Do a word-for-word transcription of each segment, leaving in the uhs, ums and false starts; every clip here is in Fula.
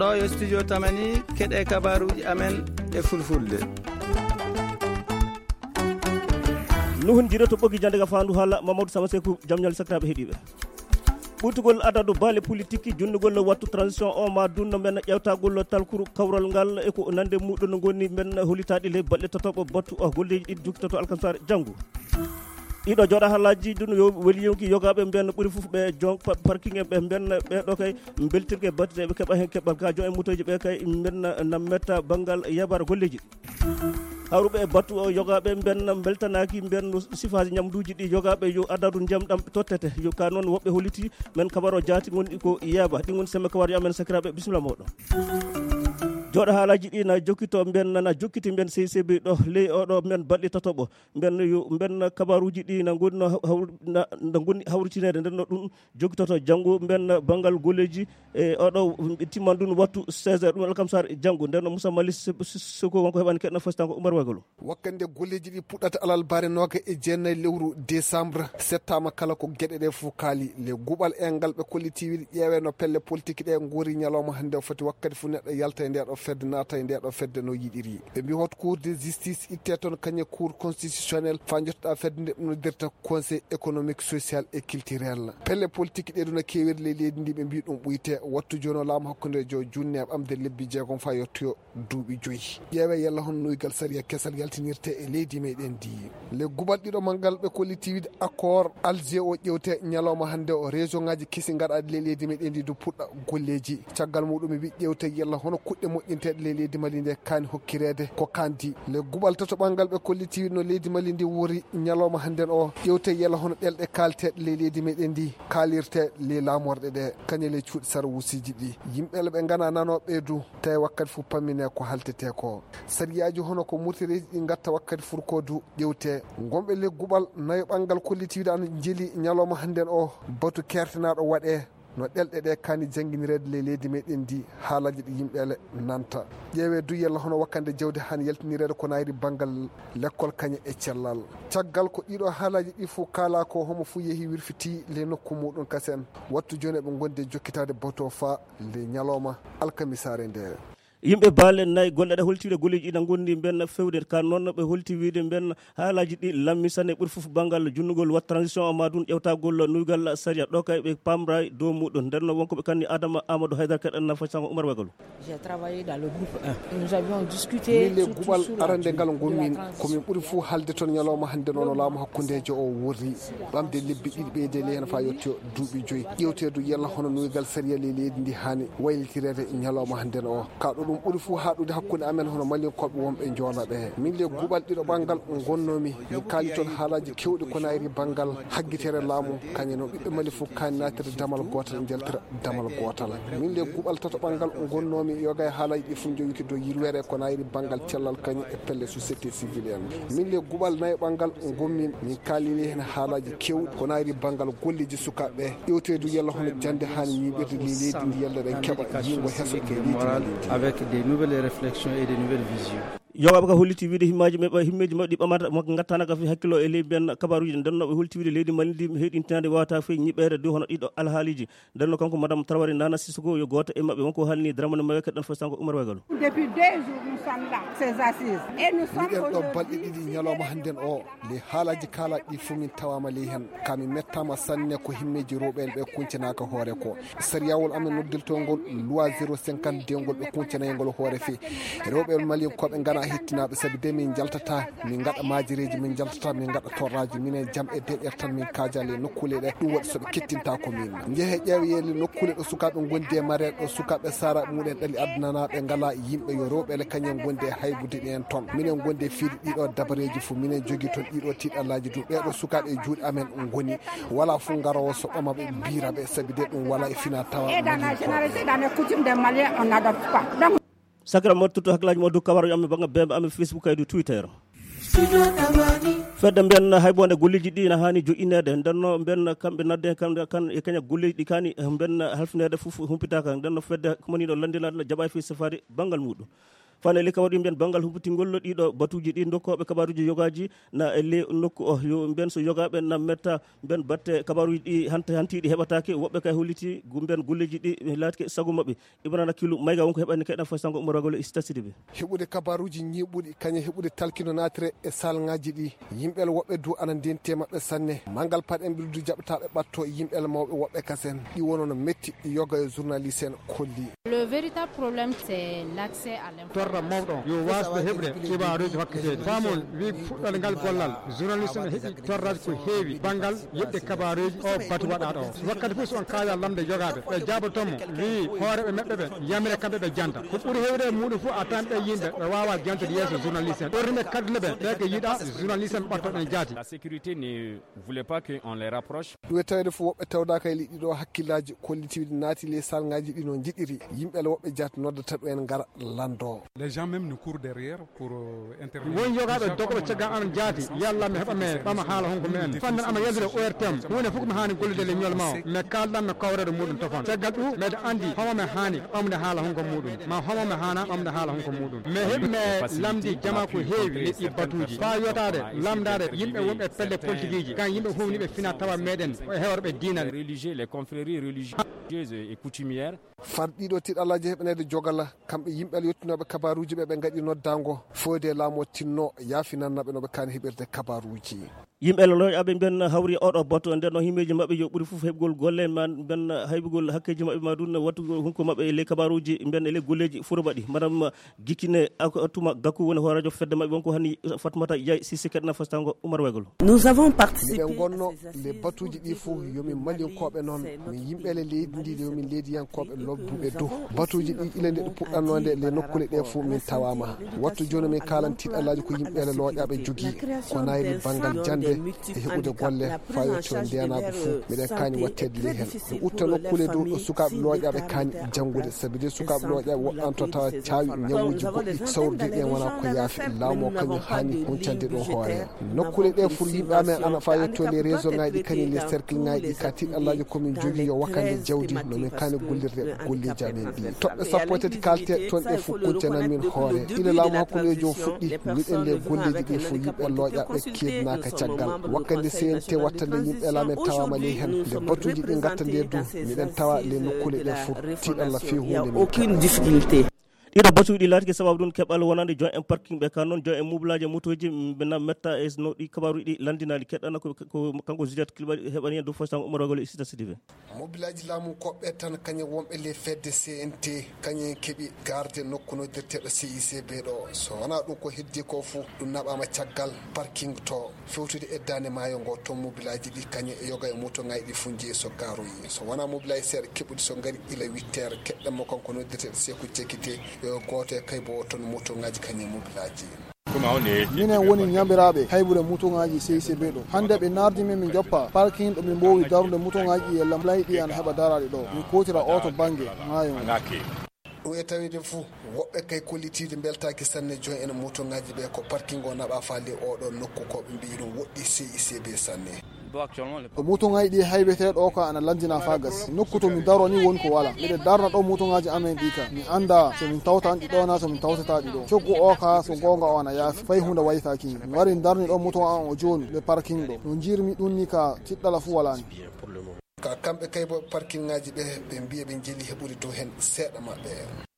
Ɗo yo studio Tamani, keɗe kabaruji amen e fulfulde. Nuhun jire to ɓogi jande ga fandu hala Mamadou Samasekou jamñal sakiraɓe heɗiɓe. Ɓurtugol adadu baale politique junnugol wattu transition o ma dunno men ƴewtagol talkuru kawral ngal e ko nande muɗum no goni men holitaɗi le baɗɗe tatoɓo battu o golleji ɗiɗi jokkitoto alkamsare janngo. Ɗiɗo jooɗa halaji ɗum yo weli yonki yogaɓe mben ɓuri fof ɓe jon parking en ɓe mben ɓeɗo kay beltirke batteɗe ɓe keɓa hen keɓal ka jon e mutoji ɓe kay mben na metta banngal yabar golleji. Hawruɓe e battu o yogaɓe mben beltanaki mben sifaji ñamduji ɗi yogaɓe yo adadu ndiyam ɗam tottete yo ka noon woɓɓe holiti men kabaro jaati gonɗi ko yeeba ɗi gon semme kabaro yo amen sakiraɓe bisimilla moɗon. Jooɗo haalaji ɗi na jokkito mben na jokkiti mben C C B ɗo ley oɗo mben baɗɗi tatoɓo mben yo mben kabaruji ɗi na gonni hawr na gonni hawritinede nden no ɗum jokkitoto janngo mben banngal golleji e oɗo timman ɗum wattu seize heures ɗum alkamsar janngo nden no Moussa Mali Seko wonko heɓani keɗna fasitanko Oumar Wagolo. Wakkande golleji ɗi puɗɗata alal bare noga e jeenayi lewru décembre settama kala ko geɗe ɗe fof kaali le guɓal e ngal ɓe kollitiwiɗi ƴeewe no pelle politique ɗe gori ñalawma hannde o foti wakkati fof neɗɗo yalta e nde ɗo fedde naata e nde ɗo fedde no yiɗiri. Ɓe mbi hot cour de justice itte toon kañe cour constitutionnel fa jottoɗa fedde nde ɗum noddirta conseil économique social et culturel. Pelle politique ɗe ɗum no kewiri ley leydi ndi ɓe mbi ɗum ɓuyte wattu jono laamu hakkunde jo junne e ɓamde lebbi jeegom fa yottoyo duuɓi joyi. Ƴeewe yalla hon nuygal sariya kesal yaltinirte e leydi meɗen ndi. Le guɓal ɗiɗo manngal ɓe kollitiwiɗi accord Alger o ƴewte ñalawma hannde o région ngaji kesi gaɗaɗi le leydi meɗen ndi du puɗɗa golleji. Caggal muɗum wi ƴewte yalla hono kuɗɗe moƴƴinteɗe le leydi Mali nde kaani hokkireede ko kandi. Le guɓal tato ɓanngal ɓe kollitiwiɗi no leydi Mali ndi wori ñalawma hannden o ƴewte yalla hono ɗelɗe kaalteɗe le leydi meɗen ndi kaalirte le laamorɗe ɗe kañe le cuuɗi sara wusiji ɗi. Yimɓe le ɓe ngana nanoɓe du tawi wakkati fof pammine ko haltete ko. Sariyaaji hono ko murtireeji ɗi ngatta wakkati furko du ƴewte. Gonɓe le guɓal nayo ɓanngal kollitiwiɗi an jeli ñalawma hannden o batu kertenaɗo waɗe no ɗelɗe ɗe kaani jannginireede le leydi meɗen ndi haalaji ɗi yimɓe le nanta. Ƴeewe du yalla hono wakkande jawdi han yaltinireede ko nayri banngal lekkol kañe e cellal. Caggal ko ɗiɗo haalaji ɗi fof kaala ko homo fof yehi wirfiti le nokku muɗum kasen wattu joni ɓe gondi e jokkitaade bato fa le ñalawma alkamisare nde. Yimɓe baale nayi golle ɗe holtiiɗe golleji ina gondi mben fewde ka noon ɓe holti wiide mben haalaji ɗi lammisane ɓuri fof banngal junnugol wat transition o ma ɗum ƴewtagol nuygal sariya ɗo kay ɓe pamra dow muɗum nden no wonko ɓe kanni Adama Amadou Haydara keɗan na fasango Oumar Wagalu. J'ai travaillé dans le groupe un. Nous avions discuté min le guɓal arande ngal gonmin komin ɓuri fof halde toon ñalawma hannde noon o laamu hakkundejo o worri ɓamde lebbi ɗiɗi ɓeyde le hen fa yetto duuɓi joyi ƴewteedu yalla hono nuygal sariya le leydi ndi haani waylitireede ñalawma hannden o. Ka ɗo ɗum ɓuri fof haaɗude hakkunde amen hono Malinkoɓe wonɓe Joola ɓe. Min le guɓal ɗiɗo ɓanngal ngonnomi, mi kaali toon haalaaji keewɗi ko nayri banngal haggitere laamu, kañe no ɓiɓɓe Mali fof kaani naatirde damal gootal, njaltira damal gootal. Min le guɓal tato ɓanngal ngonnomi, yoga e haalaaji ɗi fof njowiki dow yirwere ko nayri banngal cellal kañum e pelle société civile en. Min le guɓal nayo ɓanngal ngonmin, min kaalini heen haalaaji keewɗi ko nayri banngal golleji sukaaɓe ɓe. Ƴewteedu yalla hono jannde haani ñiiɓirde ndi leydi ndi yalla ɗen keɓa yiingo heso ndi leydi ndi leydi. Avec des nouvelles réflexions et des nouvelles visions. Yogaaɓe ka holliti wiide himmaaji maɓɓe himmeeji maɓɓe ɗi ɓamata mo ngattana ka fi hakkilo e leydi mbiyan kabaruji ɗi ndennoɓe holti wiide leydi Mali ndi heɗintinade wawata fey ñiɓɓeede du hono ɗiɗo alhaaliji. Ndenno kanko madame Traoré Nana Sissoko yo gooto e maɓɓe wonko haalni Dramane Mayo keɗɗen fof sanko Oumar Wagalo. Depuis deux jours nous sommes là ces assises et nous sommes miɗen ɗo balɗe ɗiɗi ñalawma hannden o. Ley haalaji kaalaɗi ɗi fof min tawama ley hen. Ka min mettama sanne ko himmeji rewɓe en ɓe kuncanaaka hoore ko. Sariyawol amen noddirtongol loi zéro cinquante deux ngol ɓe kuncanayngol hoore fii rewɓe malien koɓe ngana hettinaɓe sabi de min jaltata min gaɗa majireji min jaltata min gaɗa torraji minen jam e deƴƴere tan min kajale e nokkule ɗe ɗum waɗi soɓe kettinta ko min jeehe ƴeewe yeele nokkule ɗo sukaɓe gondi e mareɗe ɗo sukaɓe sara muɗen ɗali addananaɓe ngala yimɓe yo rewɓe le kañen gondi e haybude ɗen toon minen gondi e fiiri ɗiɗo dabareji fof minen jogui toon ɗiɗo tiɗallaji du ɓeɗo sukaɓe e juuɗe amen goni wala fof garowo soɓɓama ɓe mbira ɓe sabi de ɗum wala e fina tawa. Et dans la généralité dans les coutumes des Maliens on n'adopte pas. Donc, sakira mo tutto hakkillaji mo dow kabaro amen banga bembe amen Facebook kaydu Twitter. Fedde mbiyan haybonde golleji ɗi na hani joƴƴineede ndenno mbiyan kamɓe nadde kamɓe kan e kaña golleji ɗi kani mbiyan halfineede fof humpitaka ndenno fedde komaniɗo landinade jaɓa e fi safari banngal muɗum. Fane le kabaruji mbiyen banngal humputingol ɗiɗo batuji ɗi, dokkooɓe kabaruji yogaaji na e le nokku o, yo mbiyen so yogaaɓe na metta mbiyen batte kabaruji ɗi hanta hantiɗi heɓataake. Woɓɓe kay holliti gu-, mbiyen golleji ɗi laatke sago maɓɓe. Ibrahima Kilu Mayga wonko heɓani kay ɗan fay sango Umar Wagolo e Sita Sidibé. Heɓude kabaruji ñiiɓuɗi kañe heɓude talkino naatire e salngaji ɗi. Yimɓe woɓɓe du ana ndenti e maɓɓe sanne. Manngal paɗen ɓildu jaɓataaɓe ɓatto yimɓe mawɓe woɓɓe kasen. Ɗi wono no metti yoga e journaliste en kolli. Le véritable problème, c'est l'accès à l'information. Torra mawɗo yo waasde heɓde kibaaruuji hokketeeɗi. Faamon wi fuɗɗal ngal gollal, journaliste ne heɓi torraji ko heewi banngal yeɓde kabaaruuji o batu waɗaaɗo o. Wakkati fof so on kaala lamde yogaaɓe, ɓe jaaboto mo, wi hooreɓe maɓɓe ɓe yamire kamɓe ɓe janta. Ko ɓuri heewde e muɗum fof a tan ɓe yimɓe ɓe waawa jantude yeeso journaliste en. Ɓorri ɓe kaddule ɓe, ɓe ko yiɗa journaliste en ɓatto ɗen jaati. La sécurité ne voulait pas qu'on les rapproche. Ɗum e tawde fof woɓɓe tawdaaka e liɗɗi ɗo hakkillaaji kollitiiɗi naati ley salngaaji ɗi no njiɗiri. Yimɓe le woɓɓe jaati noddata ɗum en ngara lanndo. Les gens même nous courent derrière pour, euh, intervenir. Won yogaaɓe dogoɓe caggal amen jaati, yalla mi heɓa mi ɓama haala honko mi en. Fannan ama yaltude O R T M, huunde fof ko mi haani gollude le ñol ma o. Mi kaaldan mi kawrede muɗum tofan. Caggal ɗum, meɗa anndi homo mi haani ɓamde haala honko muɗum. Ma homo mi haana ɓamde haala honko muɗum. Mi heɓi mi lamndi jama ko heewi leƴƴi batuuji. Faa yotaade, lamndaade yimɓe wonɓe pelle politikiiji, kan yimɓe huwniiɓe fina tawa meɗen, e hewreɓe diinal. Religieux, les confréries religieuses et coutumières. Far ɗiɗo tiɗalaaji heɓaneede jogala, kamɓe yimɓe yottinooɓe kabaaruuji ɓe, ɓe ngaɗi noddaango fooyde laamu o tinno yaafinanna ɓe no ɓe kaani heɓirde kabaaruuji. Yimɓe looyaaɓe mben hawri oɗo boto, nden no himmeeji maɓɓe yo ɓuri fof heɓgol golle, ma mben haybugol hakkeeji maɓɓe, ma ɗum wattugol hunko maɓɓe e ley kabaaruuji mben e ley golleeji furo mbaɗi. Madame Gikine Ak-, Atuma Gakou woni hooreejo fedde maɓɓe wonko hani Fatmata Yaye Sise keɗna fastango Umar Waygol. Nous avons participé. Miɗen gonno le batuuji ɗi fof yo min malinkooɓe noon, min yimɓe le leydi ndi, yo min leydiyankooɓe lobbuɓe dow. Batuuji ɗi ila nde ɗi puɗɗannoonde le nokkuule ɗe fof min tawaama. Wattu jooni min kaalan tiɗalaaji ko yimɓe le looƴaaɓe jogii, ko nayri banngal jannde e heɓude golle fayotoo ndeenaagu fof. Miɗen kaani watteede ley heen. Ɓe utta nokkuule dow ɗo sukaaɓe looƴaaɓe kaani janngude, sabi de sukaaɓe looƴaaɓe woɓɓe an to tawa caawi ñawuuji goɗɗi sawrude ɗen wonaa ko yaafi. Laamu o kañum haani huncande ɗum hoore. Nokkuule ɗe fof yimɓe amen ana faa yetto les réseau ŋaaji ɗi kañum les cercle ŋaaji ɗi ka tiɗallaaji ko min jogii yo wakkande jawdi no min kaani gollirde golleeji amen ɗi. Toɓɓe sappo e tati kalte toon ɗe fof kuncanan min hoore. Ila laamu hakkundeejo o fuɗɗi, miɗen les golleeji ɗi fof yimɓe looƴaaɓe keednaaka caggal. Wakkande C N T wattande yimɓe laamen tawaama ley heen. Nde batuuji ɗi ngatta nde du, miɗen tawa les nokkuule ɗe fof tiɗalla fii huunde min. Aucune difficulté. Ɗiɗo batuuji ɗi laatike sababu ɗum keɓal wonande joint en parking ɓe, kan noon joint en mublaaji e motooji, ɓe na metta e no ɗi kabaaruuji ɗi lanndinaali. Keɗɗana ko, ko kanko Juliette Kilɓaɗi heɓani heen dow fostango Umar Wagol e Sita Sidibe. Mobilaaji laamu koɓɓe tan kañum wonɓe le fedde C N T, kañum keɓi garde nokku noddirteeɗo C I C B ɗo. So wonaa ɗum ko heddi ko fof ɗum naɓaama caggal parking to. Fewtude e daande maayo ngo, toon mobilaaji ɗi kañe e yoga e moto ŋaaji ɗi fof njeyi so gaaroyi. So wonaa mobilaaji seeɗa keɓuɗi so ngari ila huit heures, keɗɗen mo kanko noddirteeɗo Seeku Jekite, yo gooto e kaybo o toon moto ŋaaji kañe mobilaaji. Minen woni ñamiraaɓe haybude moto ŋaaji C I C B ɗo. Hannde ɓe naardi min min joppa parking ɗo min mboowi darude moto ŋaaji ɗi e lamlay ɗi ana heɓa daraade ɗo. Min kootira o to bannge maayo ngo. Ɗum e taweede fof, woɓɓe kay kollitiiɓe mbeltaaki sanne joint en moto ŋaaji ɓe ko parking o naɓa faale oɗo nokku ko ɓe mbiyi ɗum woɗɗi C I C B sanne. Ɗo moto ŋaaji ɗi haybetee ɗo ka ana lanndina faa gasi. Nokku to min daro ni woni ko wala. Miɗe darna ɗo moto ŋaaji amen ɗi ka. Mi annda so min tawtan ɗi ɗo na so min tawtata ɗi ɗo. Coggu o ka so goonga o ana yaafi. Fay huunde waytaaki. Mi wari darni ɗo moto an o jooni le parking ɗo. No njiirmi ɗum ni ka tiɗɗala fuu wala ni. Ka kamɓe kaybo parking ŋaaji ɓe, ɓe mbiya ɓe njeli heɓude dow heen seeɗa maɓɓe.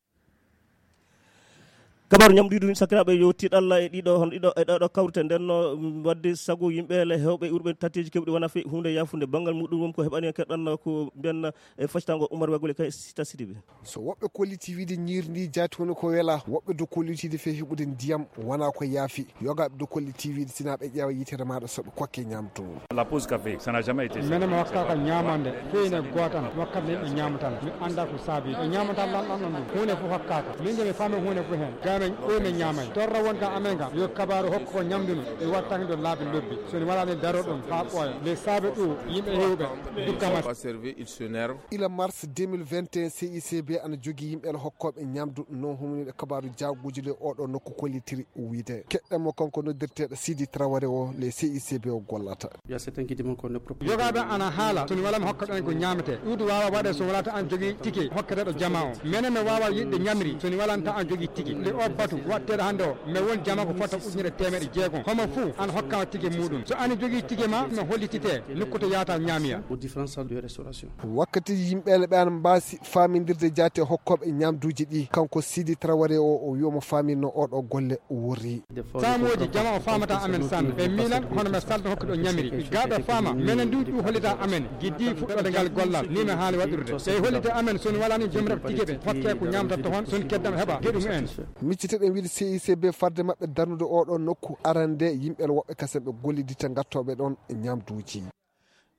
Kabaaru ñamɗo ɗum sakiraaɓe yo tiɗalla e ɗiɗo, hono ɗiɗo, e ɗo, ɗo kawrite nden no, mm, wadde sago yimɓe le hewɓe urɓe tatteeji keɓɗi wona fe huunde yaafunde banngal muɗum won ko heɓani keɗɗan ko mbiyan e factango Umar Wagule kay Sita Sidibe. So woɓɓe kolliti wiide ñiiri ndi jaati woni ko wela, woɓɓe do kollitiide fe heɓude ndiyam wona ko yaafi. Yogaaɓe do kolliti wiide sina ɓe ƴeewa yitere maaɗa so ɓe kokke ñaamdu. La pause café, ça n'a jamais été ça. Menen mi hokkaaka ñaamande, feyne gootan, wakkati yimɓe ñaamatan. Mi annda ko saabi. Ɓe ñaamatan lanɗan ɗon ɗum. Huunde fof hokkaaka. Min de mi faami huunde fof heen. Ga men ɗo min ñaamay. Torra won ka amen ka. Yo kabaaru hokku ko ñamdunu. Mi watta heen ɗo laabi lobbi. So ni wala ni daro ɗum haa ɓooya. Nde saabe ɗum yimɓe hewɓe dukkama. Pas servi, il s'énerve. Ila mars deux mille vingt et un, C I C B ana jogii yimɓe hokkooɓe ñaamdu no humniiɗo kabaaru jaaguuji ley oɗo nokku kollitiri wiyde. Keɗɗen mo kanko noddirteeɗo Sidi Traoré o ley C I C B o gollata. Il y a certains qui demandent qu'on ne propose. Yogaaɓe ana haala, so ni wala mi hokka ɗon ko ñaametee. Ɗuuɗi waawa waɗe so wala ta an jogii tike hokketeeɗo jama o. Menen mi waawa yiɗde ñamri, so ni wala ta an jogii tike. Nde Batu waɗteeɗo hannde o, mi won jama ko fota ujunere teemeɗe jeegom. Homo fuu ana hokkama tige muɗum. So ana jogii tige ma, mi hollitite nokku to yaata ñaamiya. Aux différentes salles de restauration. Wakkati yimɓeele ɓe ana mbaasi faamindirde jaate hokkooɓe ñaamduuji ɗi, kanko Sidi Traoré o, o wi omo faaminno oɗo golle worri. Saamooji jama o faamata amen sanne. Ɓe miilan hono men salde hokke ɗo ñamiri. Gaaɓe faama, menen ndu ɗu hollita amen. Giddi fuɗɗoode ngal gollal, ni men haali waɗirde. Ɓe hollita amen, so en walani jom ref tige ɓe, hokke ko ñaamata tohon, so en keddam heɓa geɗum en. Miccite ɗen wiide C I C B farde maɓɓe darnude oɗo nokku arande yimɓe woɓɓe kasen ɓe gollidita gattooɓe ɗon ñaamduuji.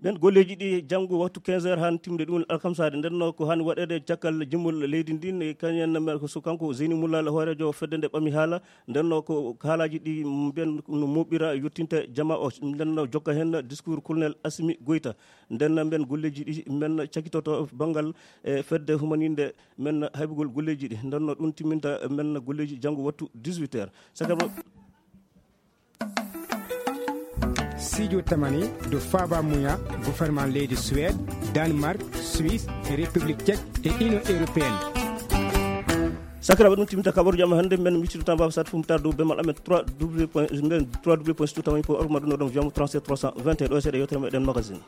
Ɓen golleeji ɗi janngo waktu quinze heures haa timde ɗum alkamsaade. Nden no ko haani waɗeede caggal jimol leydi ndin, e kañum en, ko so kanko Zeyni Mullal, hooreejo fedde nde ɓami haala. Nden no ko haalaaji ɗi mbiyen no moɓira yottinta jama o. Nden no jokka heen discours Colonel Assimi Goïta. Nden no mbiyen golleeji ɗi men cakitoto banngal e fedde humaninde men haybugol golleeji ɗi. Nden no ɗum timminta men golleeji janngo waktu dix-huit heures. Sakaba. Sijo tamani do faba muya gouvernement leydi Suède, Danemark, Suisse, République Tchèque et Union Européenne. Sakiraɓe, ɗum timminta kabaruji amen hannde. Men miccito tan baba sat fum tar dow bemal amen trois w point, mbiyen trois w point situ tamani point org, ma ɗum no ɗum jamo trente-sept trois cent vingt et un. Ɗo e seeɗa yewtere meɗen magazine.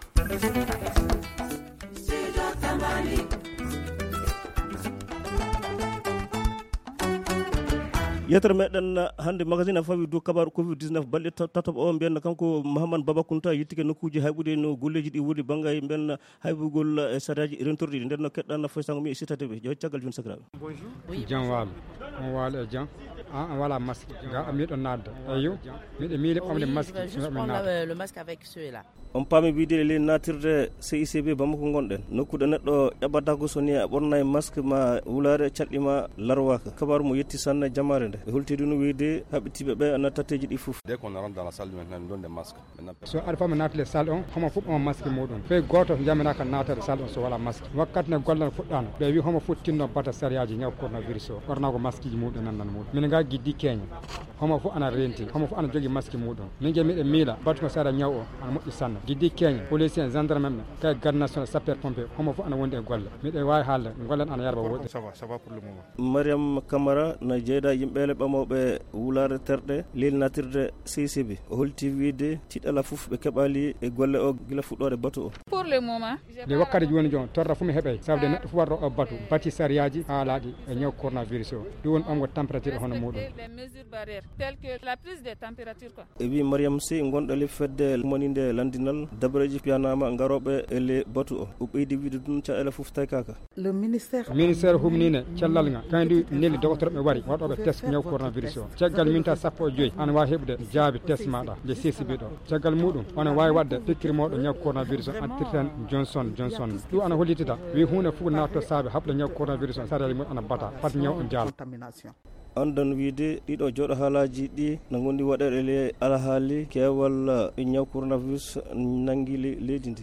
Yewtere meɗen hannde magazine a fawi dow kabaru covid dix-neuf balɗe ta-, tataɓo o. Mbiyen kanko Mahamman Baba Kunta yettike nokkuuji hayɓude no golleeji ɗi woni bannga e mbiyen haybugol e sariyaaji rentorɗi ɗi. Nden no keɗɗan foy sango mi e sitade ɓe. Yo caggal jun sakiraaɓe. Jam waalo. On waalo e jam. Ah, on wala masque. Ga miɗo nadda. Eyo. Miɗo miile ɓamde masque. Juste prendre le, le masque avec ceux-là. On paami wiide e ley naatirde C I C B Bamako ngonɗen. Nokku ɗo neɗɗo ƴaɓɓata ko so ni a ɓornaay masque ma wulaare calɗi ma larwaaka. Kabaru mo yetti sanne jamaare nde. E holti ɗum wiide haɓɓitiiɓe ɓe ana tatteeji ɗi fof. Dès qu'on rentre dans la salle, maintenant, nous donne des masques. Maintenant, so aɗa fama naatale salle on, homo fof ɓama masque muɗum. Fey gooto jamiraka naatade salle on so wala masque. Wakkati ne gollal fuɗɗano, ɓe wi homo fof tinno bata sariyaaji ñaw coronavirus o. Ɓornago masqueji muɗum nan nan muɗum. Min ga giddi keña. Homo fof ana renti, homo fof ana jogi masque muɗum. Min ge miɗen miila, batu ko sara ñaw o, ana moƴƴi sanne. Giddi keñe, police en, gendarme en, kay garde national, sapeur pompier, homo fof ana wondi e golle. Miɗen waawi haalde, gollen ana yarba woɗɗi. Ça va, ça va pour le moment. Mariam Camara na jeeyda yimɓeele ɓamooɓe wulaare terɗe, lelnatirde C C B. O holti wiide tiɗala fof ɓe keɓali e golle o gila fuɗɗoore batu o. Pour le moment, nde wakkati jooni jooni, torra fof mi heɓay, sabu de neɗɗo fof warɗo o batu, bati sariyaaji haalaaɗi e ñaw coronavirus o. Ɗum woni ɓamgo température hono muɗum. Respecter les mesures barrières, telles que la prise de température, quoi. E wi Mariam Sy, gonɗo le fedde humaninde landinal, dabareeji piyanama garoɓe e le batu o. O ɓeydi wiide ɗum caɗeele fof taykaka. Le ministère. Ministère humnine cellal ngal, kañum neli docteur ɓe wari, waɗoɓe test ñaw coronavirus o. Caggal minta sappo e joyi, ana wawi heɓude jaabi test maɗa, nde C C B ɗo. Caggal muɗum, ona wawi waɗde pikkiri moɗo ñaw coronavirus o, attirten Johnson Johnson. Ɗum ana hollitita, wi hunde fof natto saabe haɓde ñaw coronavirus o, sariyaaji mum ana bata, fat ñaw o jaal. Andon wiide ɗiɗo jooɗo haalaaji ɗi na gondi waɗeede le alhaali keewal ñaw coronavirus nangi le-, leydi ndi.